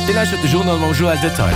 Dir lauschtert de Journal mam Joël Detail.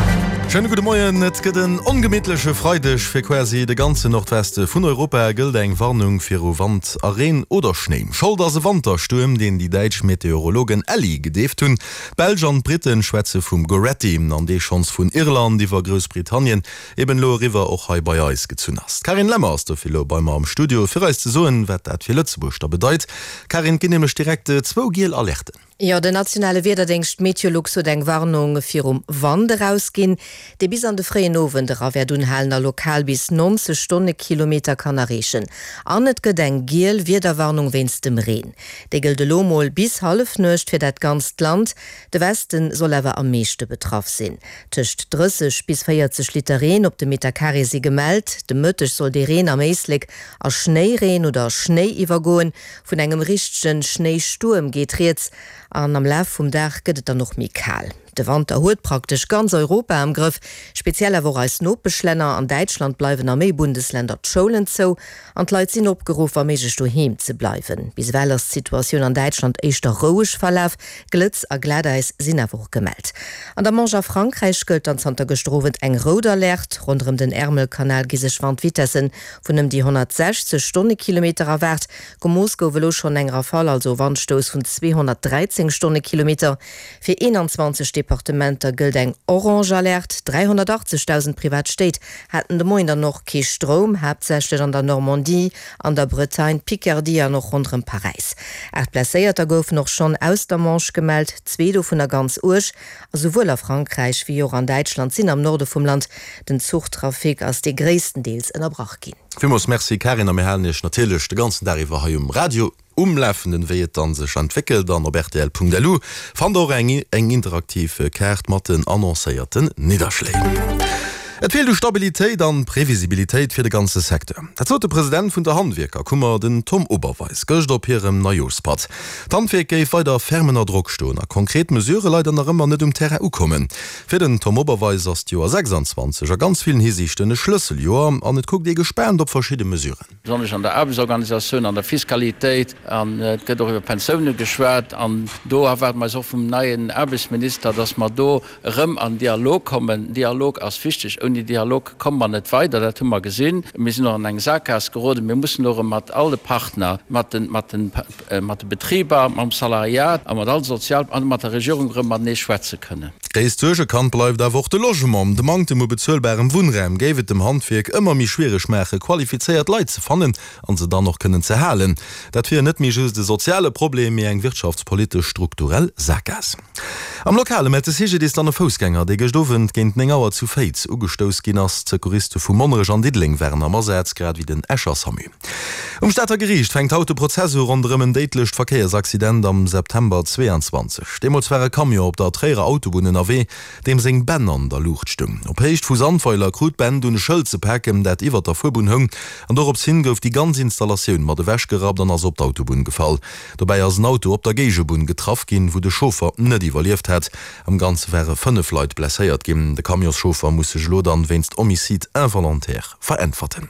Schéine gudde Moien. Et gëtt en ongemittleche Freideg. Fir quasi de ganzen Nordweste vun Europa gëllt eng Warnung viru Wand a Reen oder Schnéi. Schold ass e Wanterstuerm, deen déi däitsch Meteorologen Elli gedeeft hunn. D'Belsch an d'Brite schwätze vum Goretti, an dee schonns vun Irland iwwer Groussbritannien eben elo eriwwer och hei bei eis gezunn ass. D'Carine Lemmer ass dofir elo bei mer am Studio, fir eis ze soen, wat dat fir Lëtzebuerg da bedeit. Carine, et ginn nämlech direkt zwou giel Alerten. Jo, den nationale Wiederdéngscht Meteolux huet eng Warnung virum Wand erausginn, dee bis an de fréien Owend era wäert unhalen a lokal bis 90 Stonnekilometer kann erreechen. An et gëtt eng giel Wiederwarnung wéinst dem Reen. Déi gëllt elo mol bis Hallefnuecht fir dat ganzt Land. De Westen soll awer am meeschte betraff sinn. Tëscht 30 bis 40 Liter Reen op de Metercarré si gemellt. De Mëtteg soll dee Reen am Éislek a Schnéireen oder Schnéi iwwergoen. Vun engem richtegen Schnéistuerm geet rieds an am Laf vum Dag gëtt et dann och méi kal. De Wanter huet praktesch ganz Europa am Grëff, speziell awer och eis Nopeschlänner. An Däitschland bleiwen a méi Bundesländer d'Schoulen zou an d'Leit sinn opgeruff, wa méiglech doheem ze bleiwen. Bis ewell ass d'Situatioun an Däitschland éischter roueg verlaf, Glëtz a Glatäis sinn awer och gemellt. An der Manche a Frankräich gëllt dann zanter gëschter Owend eng rout Alerte. Ronderëm den Ärmelkanal gi sech Wandvitessen vun ëm déi 160 Stonnekilometer erwaart. Gemooss gouf elo schonn eng Rafale, also e Wandstouss vun 213 Stonnekilometer. Fir 21 Departementer gëllt eng orange Alerte. 380.000 privat Stéit haten de Moien dann och kee Stroum, haaptsächlech an der Normandie, an der Bretagne, Picardie an och ronderëm Paräis. 8 Blesséierter goufen och schonn aus der Manche gemellt, zwee dovunner ganz uerg. A souwuel a Frankräich wéi och an Däitschland sinn am Norde vum Land den Zuchtrafic ass dee gréisstendeels ënnerbrach ginn. Villmools Merci Karin, a mir halen Iech natierlech de ganzen Dag iwwer hei um Radio um Lafenden, wéi et dann sech entwéckelt. An op rtl.lu fannt der och eng eng interaktiv Kaart mat den annoncéierten Nidderschléi. Et feelt u Stabilitéit an Previsibilitéit fir de ganze Secteur. Dat sot de President vun der Handwierkerkummer, den Tom Oberweis, gëscht op hirem Neijooschpatt. D'Handwierk géif weider ferm ënner Drock stoen a konkret Mesurë leider nach ëmmer net um Terrain ukommen. Fir den Tom Oberweis ass d'Joer 26 a ganz villen Hisiichten e Schlësseljoer an et kuckt ee gespaant op verschidde Mesuren. Besonnesch an der Aarbechtsorganisatioun, an der Fiskalitéit, an et gëtt och iwwer Pensioune geschwat. An do erwaarde mer eis och vum neien Aarbechtsminister, dass mer do erëm an Dialog kommen. Dialog ass wichteg. Ouni Dialog komme mer net weider, dat hu mer gesinn. Mir sinn och an eng Sakgaass geroden. Mir mussen elo erëm mat all de Partner, mat de, mat de, mat de Betriber, mam Salariat a mat all de Sozial an mat der Regierung erëm matenee schwätze kënnen. Gréisst Suergekand bleift awer och de Logement. De Manktem u bezuelbarem Wunnraum géif et dem Handwierk ëmmer méi schwiereg maache qualifizéiert Leit ze fannen an se dann och kënnen ze halen. Dat wier net méi just e soziale Problem, mee eng wirtschaftspolitesch strukturell Sakgaass. Am Lokale mellt de CGDIS dann e Foussgänger, dee gëscht Owend géint 9 Auer zu Féiz ugestouss ginn ass. D'Secouriste vu Monnerech an Diddeleng waren am Asaz, grad ewéi den Escher Samu. Um Stater Geriicht fänkt haut de Prozess u ronderëm en déidlecht Verkéiersaccident am September 22. Deemools war e Camion op der Tréierer Autobunn ënnerwee, deem seng Bänn an der Luucht stoung. Op Héicht vu Sandweiler krut d'Bänn dunn e Schëld ze paken, dat iwwert der Fuerbunn houng, an dorops hin gouf déi ganz Installatioun mat ewechgerappt an ass op d'Autobunn gefall. Dobäi ass en Auto op der Géigebunn getraff ginn, wou de Chauffer net iwwerlieft hat. Am Ganze ware 5 Leit blesséiert ginn. De Camionschauffer muss sech elo dann wéinst Homicide involontaire veräntwerten.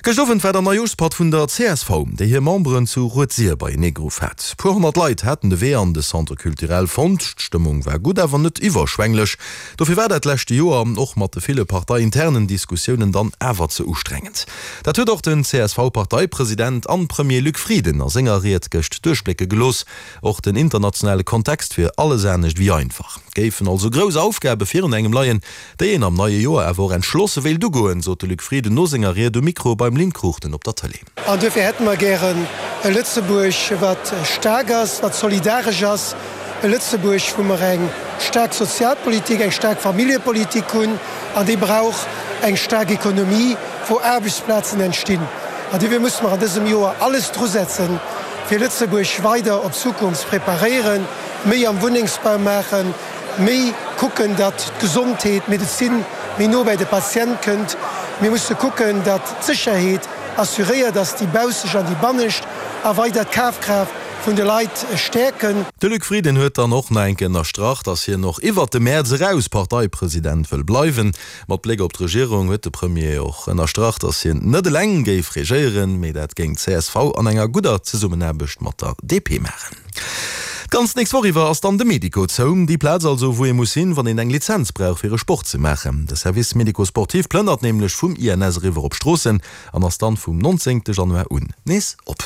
Gëscht Owend war der Neijooschpatt vun der csv, déi hir Memberen zu Rued-Sir beienee geruff hat. Puer 100 Leit haten de Wee an de Centre Culturel fonnt. D'Stëmmung war gutt, awer net iwwerschwänglech. Dofir war dat leschte Joer, och mat de ville parteiinternen Diskussiounen, dann awer ze ustrengend. Dat huet och den CSV-Parteipresident an Premier Luc Frieden a senger Ried gëscht duerchblécke gelooss. Och den internationale Kontext wier alles anescht wéi einfach. Et géifen also grouss Aufgabe virun engem leien, déi een am neie Joer awer och entschlosse wéilt ugoen, sot de Luc Frieden no senger Ried um Mikro beim Lynn Cruchten op der Tëlee. An duerfir hätte mer gären e Lëtzebuerg, wat staark ass, wat solidaresch ass, e Lëtzebuerg, wou mer eng staark Sozialpolitik, eng staark Familljepolitik hunn. An déi brauch eng staark Ekonomie, wou Aarbechtsplazen entstinn. An duerfir musse mer an dësem Joer alles drusetzen, fir Lëtzebuerg weider op d'Zukunft ze preparéieren, méi am Wunnengsbau maachen, méi kucken, datt d'Gesondheet, d'Medezin méi no bäi de Patient kënnt. Mir musse kucken, datt d'Sécherheet assuréiert ass, déi bausseg an déi bannescht, a weider d'Kafkraaft vun de Leit stäerken. De Luc Frieden huet dann och nach eng Kéier ënnerstrach, datt hien och iwwert de Mäerz eraus Parteipresident wëll bleiwen. Mat Bléck op d'Regierung huet de Premier och ënnerstrach, datt hien net eleng géif regéieren, mee dat géing d'CSV an enger gudder Zesummenaarbecht mat der DP maachen. D'ganz nächst Woch iwwer ass dann de Medico zou. Déi Plaz also, wou ee muss hin, wann een eng Lizenz brauch, fir e Sport ze maachen. De Service médico-sportif plënnert nämlech vum INS eriwwer op Stroossen an ass dann vum 19 Januar un nees op.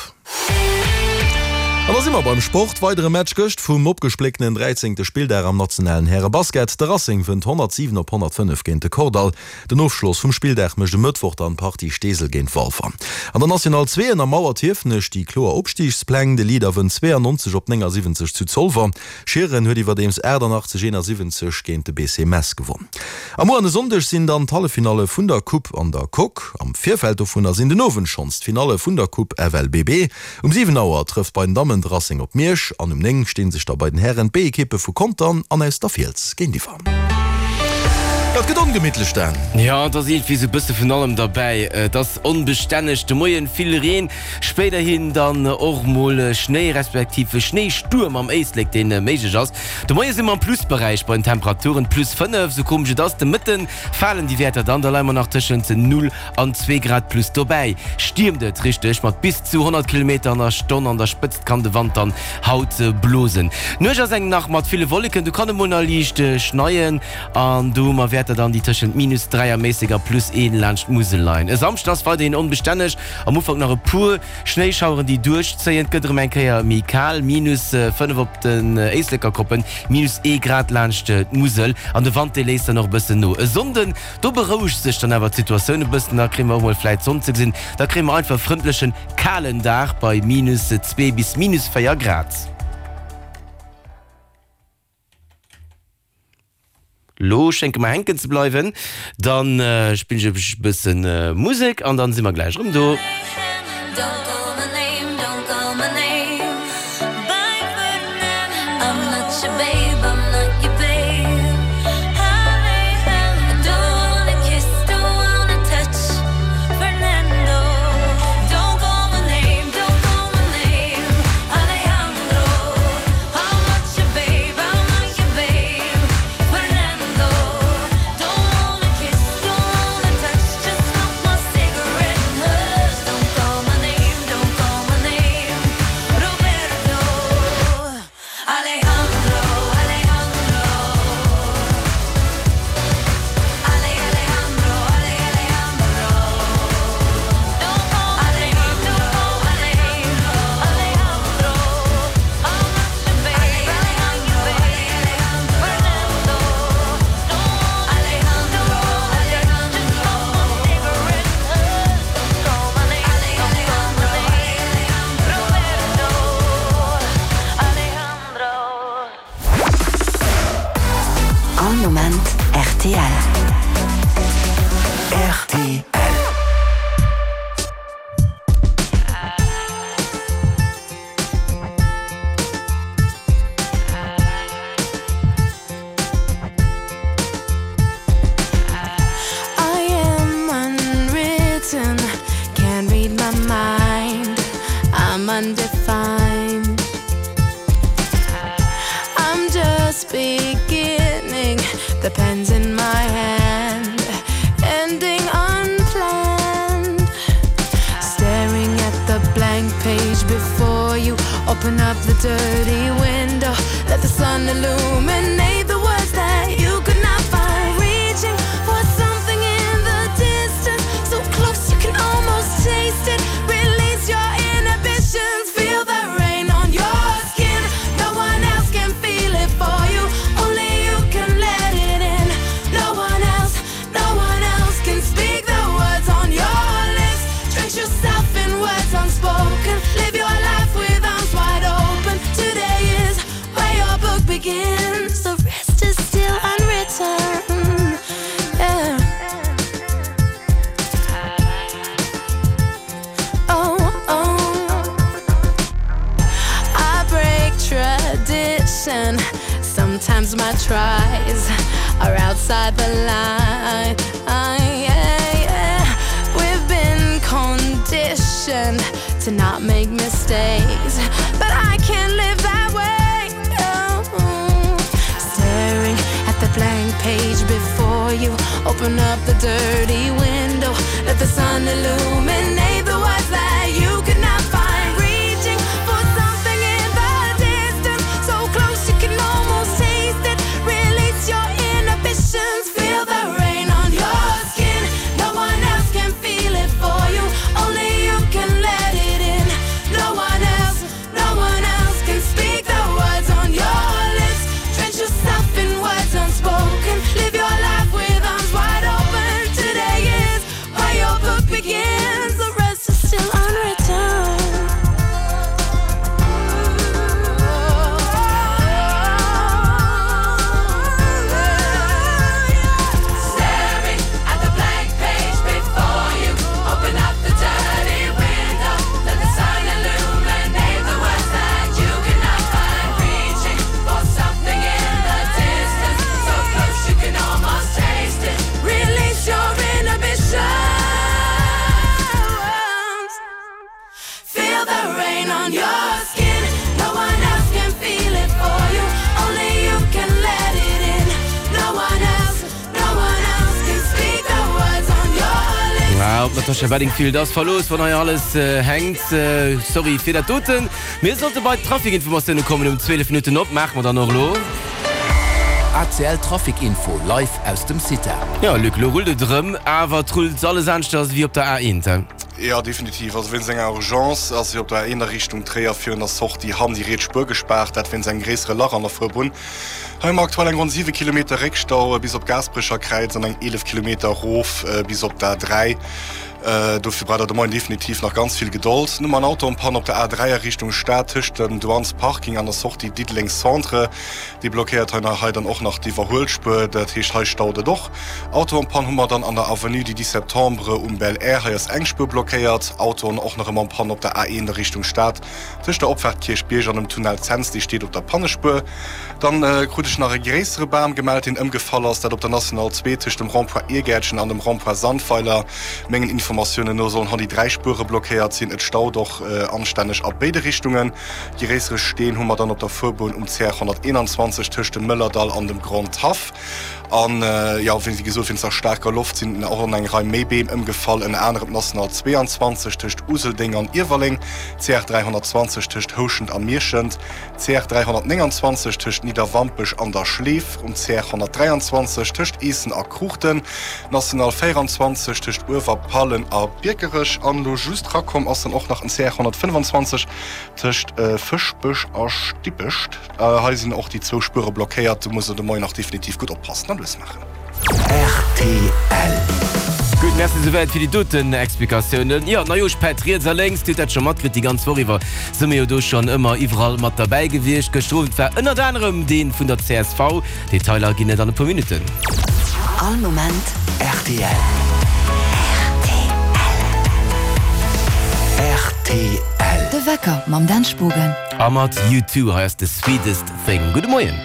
An da si mer beim Sport. Weidere Match gëscht vum opgesplécktenen 13. Spilldag am nationalen Härebasket. De Racing wënnt 107 op 105 géint de Kordall. Den Ofschloss vum Spilldag mécht e Mëttwoch dann d'Partie Steesel géint Walfer. An der National 2 ënnermauert Hiefenech déi kloer Opstigspläng. De Leader wënnt 92 op 79 zu Zolwer. Schieren huet iwwerdeems 88, 71 géint de BC Mess gewonn. A muer an e Sonndeg sinn dann d'Halleffinalle vun der Coupe an der Coque. Am Virfeld dovunner sinn den Owend schonns d'Finalle vun der Coupe FLBB. Um 7 Auer trëfft bei den Dammen de Racing op Miersch an um 9 sti sech da bei den Hären d'B-Ekippe vu Contern an aus der Fiels géintiwwer. Dat gëtt ongemittlech, Dan. Jo, et ass iergendwéi sou e bësse vun allem derbäi. Et ass onbestänneg, de Moien vill Reen, spéiderhin dann och mol Schnéi respektiv Schnéistuerm am Éislek, dee méiglech ass. De Moie si mer am Plusberäich bei den Temperaturen, plus 5, sou komesch et ass. De Mëtte falen déi Wäerter dann, da leie mer nach tëschent 0 an 2 Grad plus. Dobäi stiermt et richteg mat bis zu 100 Kilometer an der Stonn, an der Spëtzt kann de Wand dann haut blosen. D'Nuecht ass eng nach mat ville Wolleken, do kann et mol nach liicht schneien an do hu mer Wäerter dann, déi tëschent minus 3 a méisseg a plus 1 laanscht d'Musel leien. E Samschden ass weiderhin onbestänneg, am Ufank nach e puer Schnéischaueren, déi duerchzéien. Et gëtt erëm eng Kéier méi kal, minus 5 op den Éislekerkoppen, minus ee Grad laanscht d'Musel an de Wand, dee léisst dann och e bëssen no. E Sonnden, do berouegt sech dann awer d'Situatioun e bëssen, da kréie mer och mol vläit d'Sonn ze gesinn, da kréie mer einfach e frëndlechen Kalen Dag bei minus 2 bis minus 4 Grad. Lo schénge mer hänken ze bleiwen. Dann spillen ech e bëssen Musek an dann si mer gläich erëm do. All Moment rtl. Rtl. I am unwritten, can't read my mind, I'm undefined. I'm just beginning, the pen's in my hand, ending unplanned. Staring at the blank page before you, open up the dirty window, let the sun illuminate the words that you could not find. Reaching for something in the distance, so close you can almost taste it. Release your inhibitions, feel the rain on your skin. No one else can feel it for you, only you can let it in. No one else, no one else can speak the words on your lips. Drench yourself in words unspoken. Live your life with arms wide open. Today is where your book begins. The rest is still unwritten. Yeah. Oh, oh. I break tradition. Sometimes my tries are outside the line. Yeah, yeah. We've been conditioned to not make mistakes, but I can't live that way. Oh. Staring at the blank page before you, open up the dirty window, let the sun illuminate the words that you could not find. Reaching for something in the distance, so. der Tasha Bedingfield ass verlooss, wann hei alles hänkt. Sorry fir dat doten. Mir sollte bei d'Trafikinformatioune kommen um 12 Minutten op. Maache mer dann och elo. ACL Trafic Info live aus dem CITA. Jo Luc, lo rullt et erëm, awer et rullt alles aneschters ewéi op der A1, he? Jo definitiv, also wéinst enger Urgence ass jo op der A1 a Richtung Tréier virun der Sortie Hamm déi riets Spuer gespaart, dat wéinst engem gréissere Lach an der Fuerbunn. Hei hu mer aktuell eng ronn 7 Kilometer Réckstau bis op Gaasperecher Kräiz an eng 11 Kilometer erof bis op d'A3. Dofir braucht der de Moien definitiv nach ganz vill Gedold. Dann hu mer en Auto en panne op der A3 a Richtung Stad tëscht dem Douanes Parking an der Sortie Diddeleng Centre. Dee blockéiert hei nach hei dann och nach d'Iwwerhuelspuer, dat heescht hei staut et och. Auto en panne hu mer dann an der Avenue du 10 Septembre um Belair, hei ass eng Spuer blockéiert. Autoen och nach ëmmer en panne op der A1 a Richtung Stad Tëscht der Opfaart Kierchbierg an dem Tunnel Cents, dee steet op der Pannespuer. Dann krut ech nach e gréissere Bam gemellt, deen ëmgefall ass, dat op der National 2 tëscht dem Rond-point Iergäertchen an dem Rond-point Sandweiler. Mengen Informatiounen no sollen hei déi 3 Spuere blockéiert sinn. Et staut och anstänneg a béide Richtungen. Gréissere Steen hu mer dann op der Fuerbunn um CR 121 tëscht dem Mëllerdall an dem Grand Haff. An jo, wéi gesot, wéinst der staarker Loft sinn och an eng Rei méi Beem ëmgefall, ënner anerem d'National 22 tëscht Useldeng an Iewerleng, d'CR 320 tëscht Houschent a Mierschent, d'CR 329 tëscht Nidderwampech an der Schleef, um CR 123 tëscht Eessen a Kruuchten, d'National 24 tëscht Uewerpallen a Biekerech an elo just rakomm ass dann och nach en CR 125 tëscht Fëschbech a Stippecht. Hei sinn och déi zwou Spuere blockéiert, do muss der de Moien och definitiv gutt oppassen an lues maachen. Rtl. Gutt, merci souwäit fir déi doten Explikatiounen. Jo, Neijooschpätt riets a lénks, Dir hutt dat scho matkritt, déi ganz Woch iwwer si mir jo do schonn ëmmer iwwerall mat derbäi gewiescht. Gëschter Owend war ënnert anerem dee vun der csv. Detailer ginn et an e puer Minutten. All Moment rtl. Rtl. De Wecker mam Dan Spogen. A mat U2, hei ass The Sweetest Thing. Gudde Moien.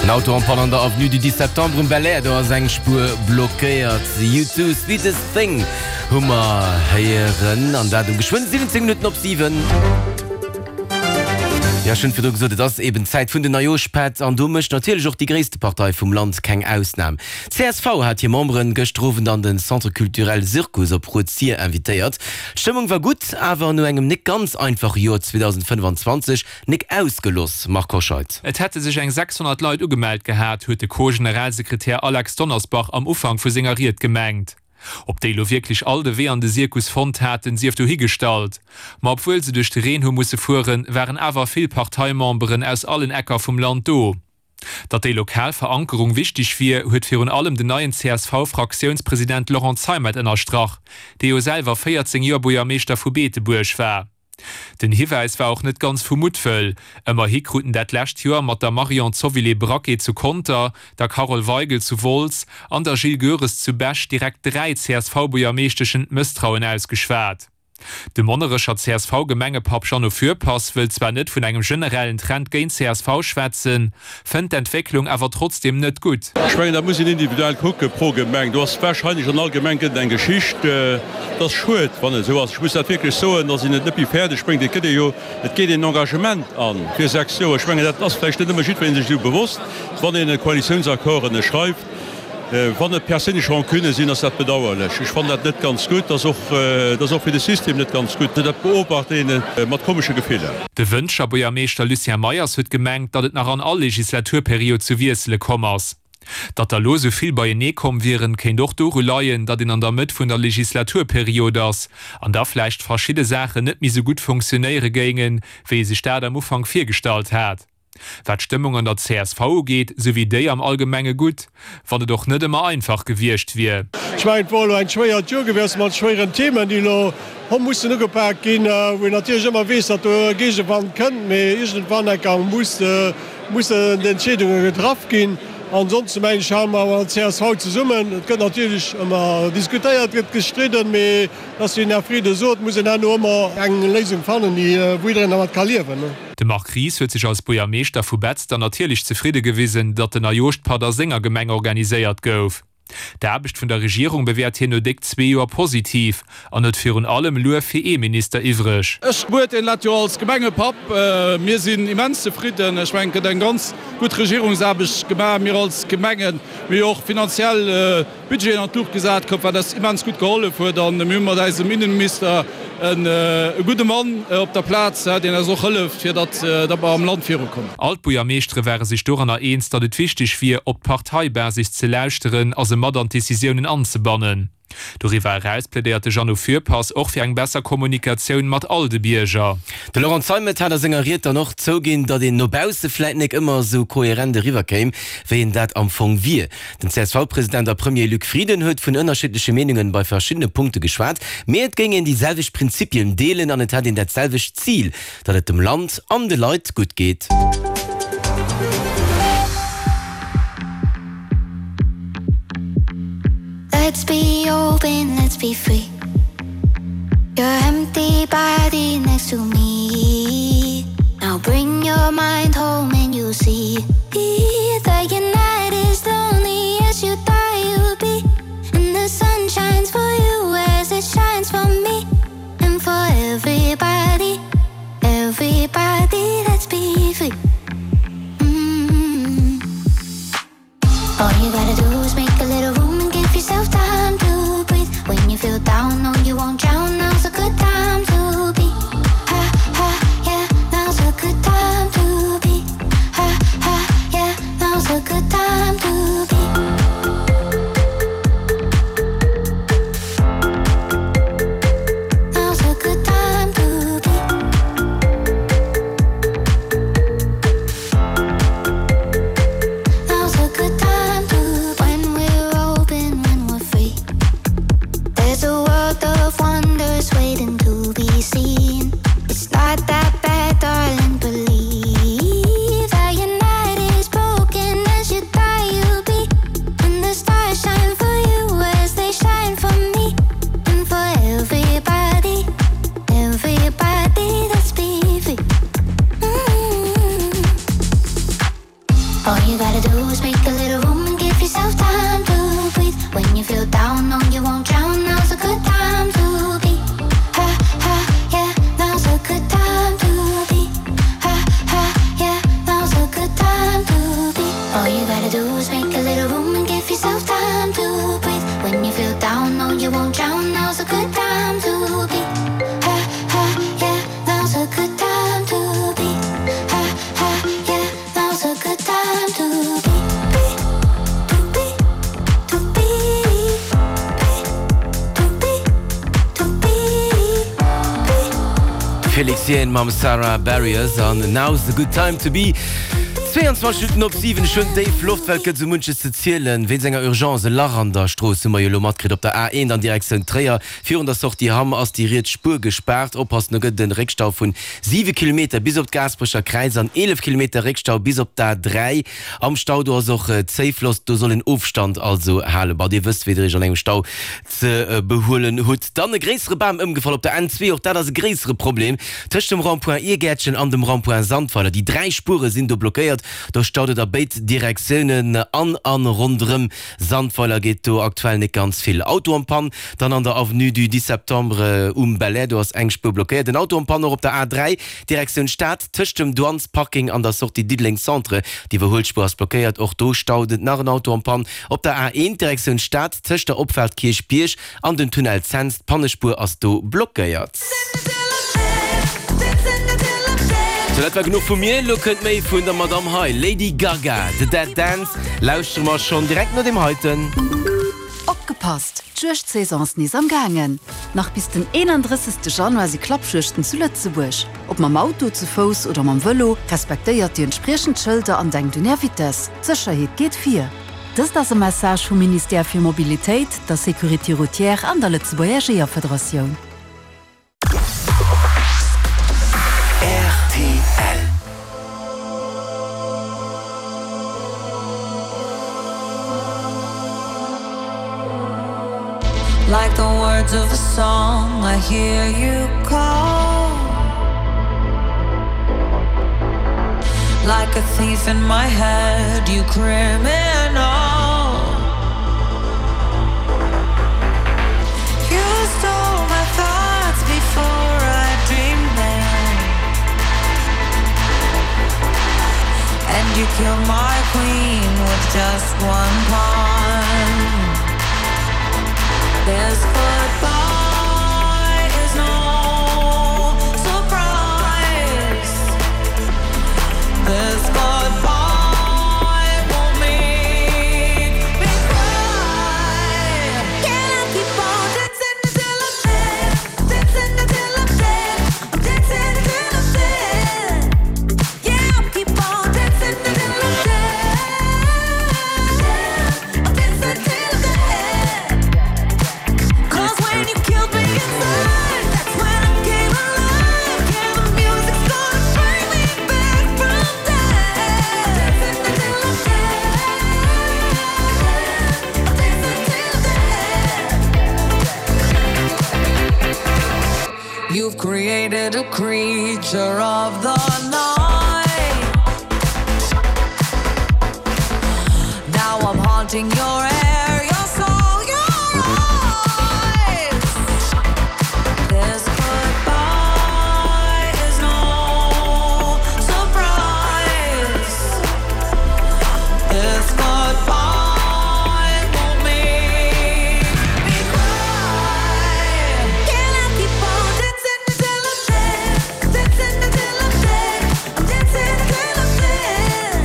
En Auto en panne an der Avenue du 10 Septembre um Belair, do ass eng Spuer blockéiert. U2, Sweetest Thing hu mer héieren an dat um geschwënn 17 Minutten op 7. Jo, ech hunn virdru gesot, et ass eben d'Zäit vun den Neijooschpätt an do mécht natierlech och déi gréisste Partei vum Land keng Ausnam. Csv hat hir Memberen gëschter Owend an den Centre Culturel Syrkus op Rued-Sir invitéiert. D'Stëmmung war gutt, awer no engem nik ganz einfache Joer 2025 nik ausgeloss. Marc Hoscheid. Et hätte sech eng 600 Leit ugemellt gehat, huet de Co-Generalsekretär Alex Donnersbach am Ufank vu senger Ried gemengt. Ob déi lo wierklech all de Wee an de Sirkus fonnt haten, sief dohigestallt. Ma obwuel se duerch de Reen hu musse fueren, waren awer vill Parteimemberen aus allen Ecker vum Land do. Datt déi lokal Verankerung wichteg wier, huet virun allem den neien CSV-Fraktiounspresident Laurent Zeimet ënnerstrach, dee jo selwer 14 Joer Buergermeeschter vu Beetebuerg war. Den Hiwäis war och net ganz vu Muttwëll. Ëmmerhi kruten dat lescht Joer mat der Marion Zovilé-Braquet zu Conter, der Carole Weigel zu Wolz an der Jill Goeres zu Bech direkt 3 CSV-Buergermeeschteschen d'Mësstrauen ausgeschwat. De Monnerecher CSV-Gemengepapp Jeannot Fürpass wëllt zwar net vun engem generellen Trend géint csv schwätzen, fënnt d'Entwécklung awer trotzdeem net gutt. Ech mengen, dat muss een individuell kucke pro Gemeng. Do ass wahrscheinlech an all Gemeng gëtt et eng Geschicht. Et ass schued, wann et esou ass. Ech muss dat wierklech soen, datt een et net méi fäerdeg bréngt. Et gëtt ee jo, et geet een en Engagement a fir 6 Joer. Ech mengen, dat ass vläicht net ëmmer jiddweree sech esou bewosst, wann een e Koalitiounsaccord ënnerschreift. Wann et perséinlech Rancunë sinn, ass dat bedauerlech. Ech fannen dat net ganz gutt. Dat ass och, dat ass och fir de System net ganz gutt. Dat beobacht ee mat komesche Gefiller. De Wëntger Buergermeeschter Lucien Meyers huet gemengt, datt et nach an all Legislaturperiod zu Wiessele komm ass. Datt der lo sou vill beienee komm wieren, kéint och doru leien, datt een an der Mëtt vun der Legislaturperiod ass an da vläicht verschidde Saachen net méi sou gutt funktionéiere géingen, wéi ee sech dat am Ufank virgestallt hat. Wat d'Stëmmung an der csv ugeet, sou wier déi am Allgemenge gutt, wann et och net ëmmer einfach gewiescht wier. Ech mengen, et wor elo eng schwéiert Joer gewiescht mat schwéieren Themen, déi elo hu mussen ugepak ginn, wou een natierlech ëmmer weess, datt do e Géigewand kënnt, mee iergendwann enker muss, mussen d'Entscheedunge getraff ginn. Ansonsten mengen ech, hale mer awer als csv zesummen. Et gëtt natierlech ëmmer diskutéiert, gëtt gestridden, mee et ass wéi den Här Frieden sot, et muss een herno ëmmer eng Léisung fannen, déi, wou jiddereen dermat ka liewen. De Marc Ries huet sech als Buergermeeschter vu Betzder natierlech zefridde gewisen, datt den Neijooschpatt a senger Gemeng organiséiert gouf. D'Aarbecht vun der Regierung bewäert hien no déck zwee Joer positiv an huet virun allem Luef fir ee Minister iwwreg. Ech beurteelen dat jo als Gemengepapp. Mir sinn immens zefridden. Ech mengen, et gëtt eng ganz gutt Regierungsaarbecht gemaach. Mir als Gemengen, mir hu jo och finanziell Budgeten an d'Luucht gesat koup, wat eis immens gutt gehollef huet. A mir hu mat eisem Innenminister e gudde Mann op der Plaz, deen eis och hëlleft, fir datt mer am Land virukommen. All d'Buergermeeschtere ware sech doranner eens, datt et wichteg wier, op d'Parteibasis ze lauschteren a se mat an d'Decisiounen anzebannen. Doriwwer eraus plädéiert de Jeannot Fürpass och fir eng besser Kommunikatioun mat all de Bierger. De Laurent Zeimet hat a senger Ried dann och zouginn, datt een no bausse vläit nek ëmmer esou koherent eriwwerkéim, wéi een dat am Fong wier. Den CSV-President a Premier Luc Frieden huet vun ënnerschiddleche Meenungen bei verschiddene Punkte geschwat, mee et géing een déi selwecht Prinzipien deelen an et hätt een dat selwecht Zil, datt et dem Land an de Leit gutt geet. Let's be open, let's be free Your empty body next to me Now bring your mind home and you'll see That you're not as lonely as you thought you'd be And the sun shines for you as it shines for me And for everybody, everybody, let's be free mm -hmm. All you gotta do is make a little room and give yourself time to breathe When you feel down, no you won't drown Now's a good time to be Ha ha yeah, now's a good time to be Ha ha yeah, now's a good time to be Now's a good time to be Now's a good time to when we're open, when we're free. There's a world of wonders waiting to be seen. It's not that bad, darling, believe that your night is broken as you thought you'd be. And the stars shine for you as they shine for me and for everybody. Everybody that's be free. Mm. All you gotta do is make a little room and give yourself time to breathe. When you feel down, no, you won't drown. Now's a good time to be. Ha ha yeah. Felix Jaehn mam Sara Bareilles an Now's the Good Time to Be. 22 Minutten op 7, schonn déif Loftwelt gëtt esou munches ze zielen. Wéinst enger Urgence, e Lach an der Strooss hu mer jo elo matkritt. Op der A1 an Direktioun Tréier, virun der Sortie Hamm, ass déi riets Spuer gespaart. Oppassen, do gëtt et en Réckstau vun 7 Kilometer bis op d'Gaasperecher Kräiz an 11 Kilometer Réckstau bis op d'A3. Am Stau do ass och Zéifloss, do soll een Ofstand also halen. Bon, dir wësst wéi der iech an engem Stau ze behuelen hutt. Dann e gréissere Bam ëmgefall op der N2, och dat ass e gréissere Problem tëscht dem Rond-point Irgäertchen an dem Rond-point Sandweiler. Déi 3 Spuere sinn do blockéiert, do staut et a béid Direktiounen an a ronderëm Sandweiler geet do aktuell net ganz vill. Auto en panne dann an der Avenue du 10 Septembre um Belair, do ass eng Spuer blockéiert. En Auto en panne och op der A3 Direktioun Stad tëscht dem Douanesparking an der Sortie Diddeleng Centre, d'Iwwerhuelspuer ass blockéiert, och do staut et. Nach en Auto en panne op der A1 Direktioun Stad tëscht der Opfaart Kierchbierg an dem Tunnel Cents, d'Pannespuer ass do blockéiert. Sou, dat war genuch vu mir. Elo kënnt méi vun der Madame hei, Lady Gaga, The Dead Dance lauschtere mer schonn direkt no deem heiten. Opgepasst! D'Juegdsaison ass nees am gaangen! Nach bis den 31. Januar si Klappjuegten zu Lëtzebuerg. Ob mam Auto, ze Fouss oder mam Vëlo, respektéiert déi entspriechend Schëlder an denkt un Är Vitess. D'Sécherheet geet vir! Dëst ass e Message vum Ministère fir Mobilitéit, der Sécurité routière an der Lëtzebuerger Jeeërfederatioun. Rtl. Like the words of a song, I hear you call. Like a thief in my head, you criminal. You stole my thoughts before I dreamed them. And you killed my queen with just one pawn. This goodbye is no surprise. This goodbye won't make me cry. Can I keep on dancing until I'm dead? Dancing until I'm dead. I'm dancing until I'm dead. Yeah, I'll keep on dancing until I'm dead. I'm dancing till I'm dead. 'Cause when you killed me inside, that's when I came alive. Yeah, the music's gonna bring me back from dead. Dancing until I'm dead. I'm dancing till I'm dead. You've created a creature of the night. Now I'm haunting your air, your soul, your eyes. This goodbye is no surprise. This goodbye won't make me cry. Can I keep on dancing until I'm dead? Dancing until I'm dead. I'm dancing until I'm dead.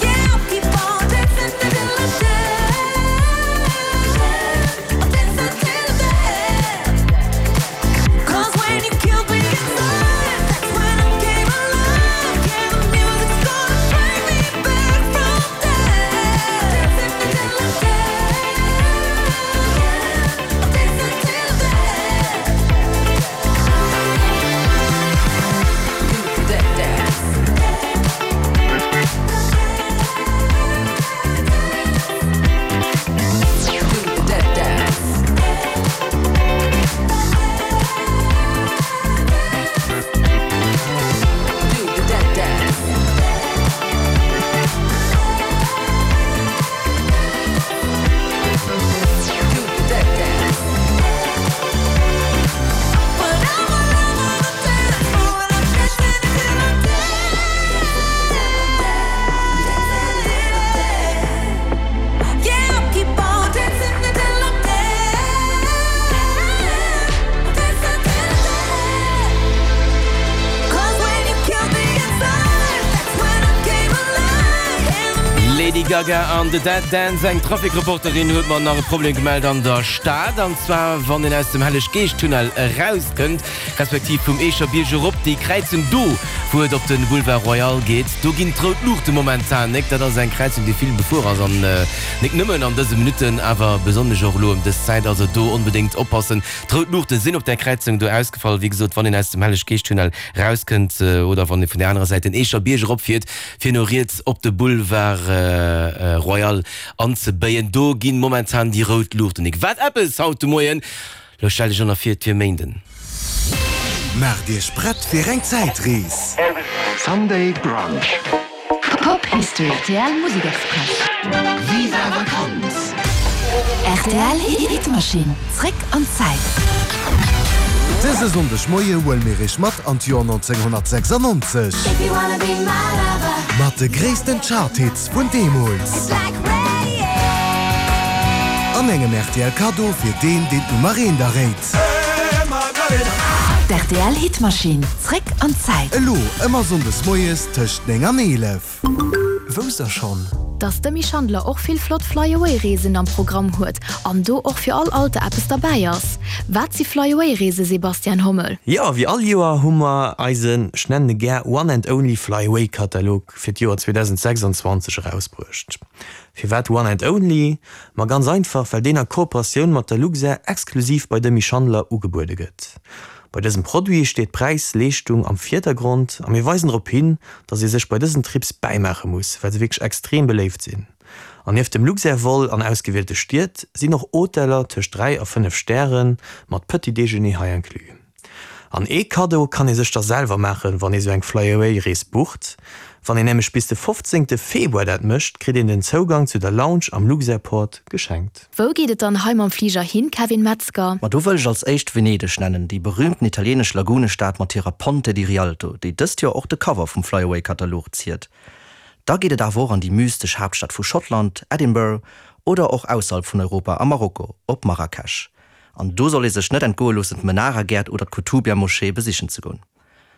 Yeah, I'll keep on dancing until I'm dead. Gaga an The Dead Dance. Eng Trafikreporterin huet mer nach e Problem gemellt an der Stad, an zwar wann een aus dem Helleg-Geescht-Tunnel erauskënnt, respektiv vum Eecher Bierg erop, déi Kräizung do, wou et op de Boulevard Royal geet, do ginn d'rout Luuchte momentan nek. Dat ass eng Kräizung, déi vill befuer ass an nek nëmmen an dëse Minutten, awer besonnesch och elo ëm dës Zäit. Also do onbedéngt oppassen. D'rout Luuchte sinn op där Kräizung do ausgefall. Wéi gesot, wann een aus dem Helleg-Geescht-Tunnel rauskënnt oder wann ee vun der anerer Säit den Eecher Bierg eropfiert, fir no riets op de Boulevard Royal anzebéien, do ginn momentan déi rout Luuchten. Nik wat eppes haut de Moien. Lo stell dech ënner vir, et wier Méinden. Maacht Iech prett fir eng Zäitrees! Sunday Brunch. Pop History. Rtl Musek Express. Viva Vakanz! Rtl Hitmaschinn, zréck an d'Zäit. Dëse Sonndeg Moie huele mir iech mat an d'Joer 1996. Mat de gréissten Chart-Hits vun deemools. An engem rtl Kaddo fir deen, deen d'Nummer eent erréit. D'RTL Hitmaschinn, zréck an d'Zäit. Elo ëmmer Sonndes moies tëscht 9 an 11. Wousst der schonn? Dass d'Demi Schandler och vill flott Fly-Away-Reesen am Programm huet an do och fir all Alter eppes derbäi ass. Wat si Fly-Away-Reese, Sebastian Hommel? Jo, wéi all Joer hu mer eisen, ech nennen e gär One and Only Fly-Away-Katalog fir d'Joer 2026 erausbruecht. Firwat One and Only? Ma ganz einfach, well deen a Kooperatioun mat der Luxair exklusiv bei Demy Schandler ugebuede gëtt. Bei dësem Produit steet Präis-Leeschtung am Virdergrond a mir weisen drop hin, dass ee sech bei dësen Trips bäimaache muss, well se wierklech extrem beléift sinn. An nieft dem Luxair-Vol an ausgewielte Stied sinn och Hoteller tëscht 3 a 5 Stäre mat Petit Déjeuner hei inclus. An ee Kaddo kann ee sech da selwer maachen, wann ee sou eng Fly-Away-Rees bucht. Wann een nämlech bis de 15 Februar dat mécht, kritt een den Zougang zu der Lounge am Luxairport geschenkt. Wou geet et dann hei mam Fliger hin, Kevin Metzger? Ma do wëll ech als éischt Venedeg nennen, déi berühmten italieenesch Lagunestad mat hirer Ponte di Rialto, déi dëst Joer och de Cover vum Flyaway-Katalog ziert. Da geet et awer och an déi mystesch Haaptstad vu Schottland, Edinburgh, oder och ausserhalb vun Europa a Marokko, op Marrakesch. An do soll ee sech net entgoe loossen d'Menara-Gäert oder d'Koutoubia-Moschee besichen ze goen.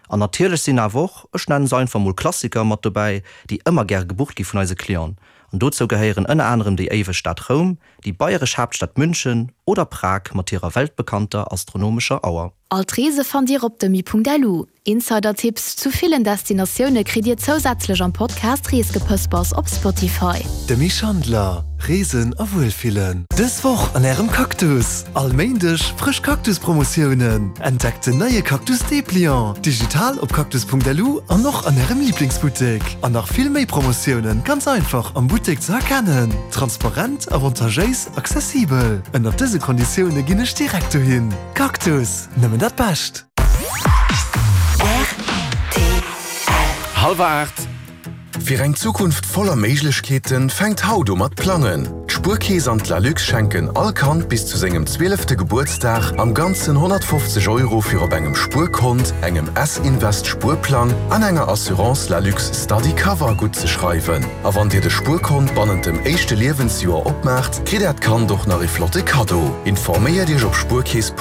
An natierlech sinn awer och, ech nennen se einfach mol Klassiker, mat dobäi, déi ëmmer gäre gebucht gi vun eise Clienten. An dozou gehéieren ënner anerem déi éiweg Stad Roum, déi bayeresch Haaptstad München oder Prag mat hirer weltbekannter astronomescher Auer. All d'Reese fannt Dir op demi.lu. Insider-Tipps zu villen Destinatioune kritt Dir zousätzlech am Podcast Reesgepëspers op Spotify. Demy Schandler, Reesen a Wuelfillen. Dës Woch an Ärem Cactus! All Méindeg frësch Cactus-Promotiounen! Entdeckt den neie Cactus Dépliant! Digital op cactus.lu an och an Ärem Liblingsbuttek. An nach vill méi Promotiounen, ganz einfach am Buttek ze erkennen. Transparent, avantagéis, accessibel. Ënnert dëse Konditioune ginn ech direkt dohin. Cactus, nëmmen dat Bescht! Hallwer 8. Fir eng Zukunft voller Méiglechkeeten fänkt haut u mat plangen. D'Spuerkeess an d'Lalux schenken all Kand bis zu sengem zwielefte Gebuertsdag am Ganzen 150 Euro fir op engem Spuerkont, engem S-Invest Spuerplang an enger Assurance Lalux Study Cover guttzeschreiwen. A wann dir de Spuerkont bannent dem éischte Liewensjoer opmaacht, kritt äert Kand och nach ee flotte Kaddo. Informéiert iech op spuerkeess.